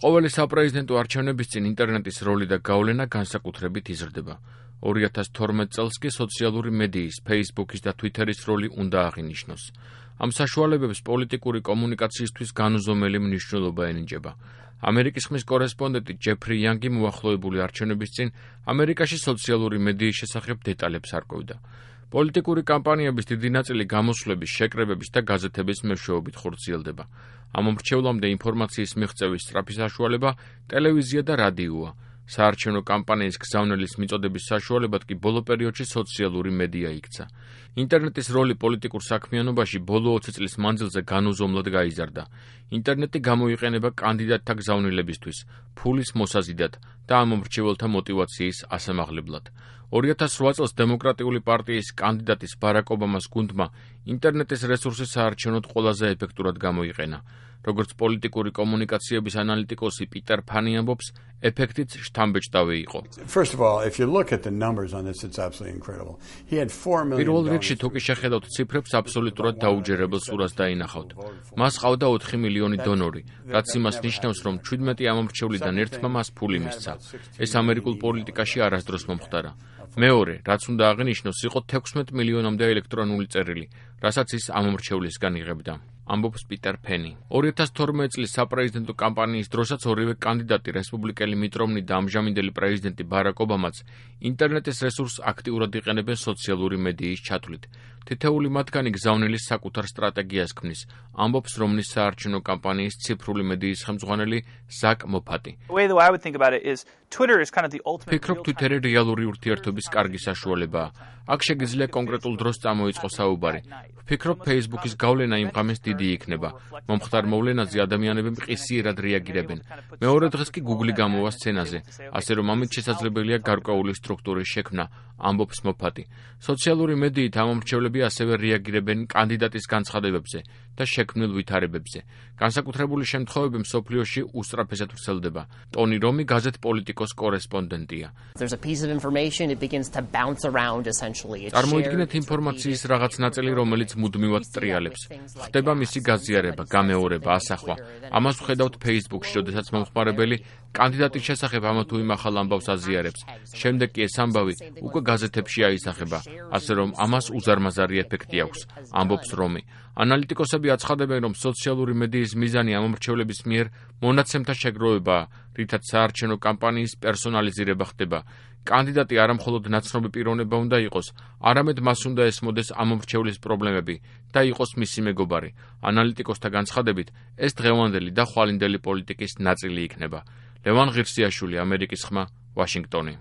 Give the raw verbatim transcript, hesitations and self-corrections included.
ყოველი საპრეზიდენტო არჩევნების წინ ინტერნეტის როლი და გავლენა განსაკუთრებით იზრდება. ორი ათას თორმეტ წელს კი სოციალური მედიის, Facebook-ის და Twitter-ის როლი უნდა აღინიშნოს. ამ საშუალებებს პოლიტიკური კომუნიკაციისთვის განუზომელი მნიშვნელობა ენიჭება. ამერიკის ხმის კორესპონდენტი ჯეფრი იანგი მოახლოებული არჩევნების წინ ამერიკაში სოციალური მედიის შესახებ დეტალებს არკვევდა. პოლიტიკური კამპანიების დიდი ნაწილი გამოსვლების, შეკრებების და გაზეთების მეშვეობით ხორციელდება. ამ მომრჩევლამდე ინფორმაციის მიღწევის სწრაფი საშუალება ტელევიზია და რადიოა. საარჩევნო კამპანიის გზავნილის მიწოდების საშუალებად კი ბოლო პერიოდში სოციალური მედია იქცა. ინტერნეტის როლი პოლიტიკურ საქმიანობაში ბოლო ოცი წლის მანძილზე განუზომლად გაიზარდა. ინტერნეტი გამოიყენება კანდიდატთა გზავნილებისთვის, ფულის მოსაზიდად და ამ მომრჩეველთა мотиваციის ასამაღლებლად. ორი ათას რვა წელს დემოკრატიული პარტიის კანდიდატის ბარაკ ობამას გუნდმა ინტერნეტის რესურსი საარჩევნოდ ყველაზე ეფექტურად გამოიყენა. როგორც პოლიტიკური კომუნიკაციების ანალიტიკოსი პიტერ ფანი ამბობს, ეფექტიც შთამბეჭდავი იყო. პირველ რიგში თუ კი შეხედავთ ციფრებს, აბსოლუტურად დაუჯერებელ სურათს დაინახავთ. მას ყავდა ოთხი მილიონი დონორი, რაც იმას ნიშნავს, რომ ჩვიდმეტი ამომრჩევლიდან ერთმა მას ფული მისცა. ეს ამერიკულ პოლიტიკაში არასდროს მომხდარა. მეორე, რაც უნდა აღინიშნოს, იყო თექვსმეტ მილიონამდე ელექტრონული წერილი, რასაც ის ამომრჩევლისგან იღებდა. ამბობს პიტერ ფენი. ორი ათას თორმეტ წლის საპრეზიდენტო კამპანიის დროსაც ორივე კანდიდატი, რესპუბლიკელი მიტ რომნი და ამჟამინდელი პრეზიდენტი ბარაკ ობამაც, ინტერნეტის რესურსს აქტიურად იყენებენ სოციალური მედიის ჩათვლით. თითეული მათგანი გზავნილის საკუთარ სტრატეგიას ქმნის, ამბობს რომნის საარჩევნო კამპანიის ციფრული მედიის ხელმძღვანელი ზაკ მოფატი. ფიქრობ, Twitter-ი რეალური ურთიერთობის კარგი საშუალებაა. აქ შეგიძლია კონკრეტულ დროს წამოიწყოს საუბარი. ვფიქრობ, Facebook-ის გავლენა იმ ღამეს დიდი იქნება. მომხდარ მოვლენაზე ადამიანები მყისიერად რეაგირებენ. მეორე დღეს კი Google-ი გამოვა სცენაზე, ასე რომ ამით შესაძლებელია გარკვეული სტრუქტურის შექმნა, ამბობს მოფატი. სოციალური მედიით ამომრჩევლები ასევე რეაგირებენ კანდიდატის განცხადებებზე და შექმნილ ვითარებებზე. განსაკუთრებული შემთხვევები მსოფლიოში უსწრაფესად ვრცელდება. ტონი რომი გაზეთ პოლიტიკოს კორესპონდენტია. წარმოიდგინეთ ინფორმაციის რაღაც ნაწილი, რომელიც მუდმივად ტრიალებს. ხდება მისი გაზიარება, გამეორება, ასახვა. ამას ვხედავთ Facebook-ში, როდესაც მომხმარებელი კანდიდატის შესახებ ამა თუ იმ ახალ ამბავს აზიარებს. შემდეგ კი ეს ამბავი უკვე გაზეთებში აისახება, ასე რომ ამას უზარმაზარი ეფექტი აქვს, ამბობს რომი. ანალიტიკოსები აცხადებენ, რომ სოციალური მედიის მიზანი ამომრჩევლების მიერ მონაცემთა შეგროვებაა, რითაც საარჩევნო კამპანიის პერსონალიზირება ხდება. კანდიდატი არა მხოლოდ ნაცნობი პიროვნება უნდა იყოს, არამედ მას უნდა ესმოდეს ამომრჩევლის პრობლემები და იყოს მისი მეგობარი. ანალიტიკოსთა განცხადებით, ეს დღევანდელი და ხვალინდელი პოლიტიკის ნაწილი იქნება. ლევან ღირსიაშვილი, ამერიკის ხმა, ვაშინგტონი.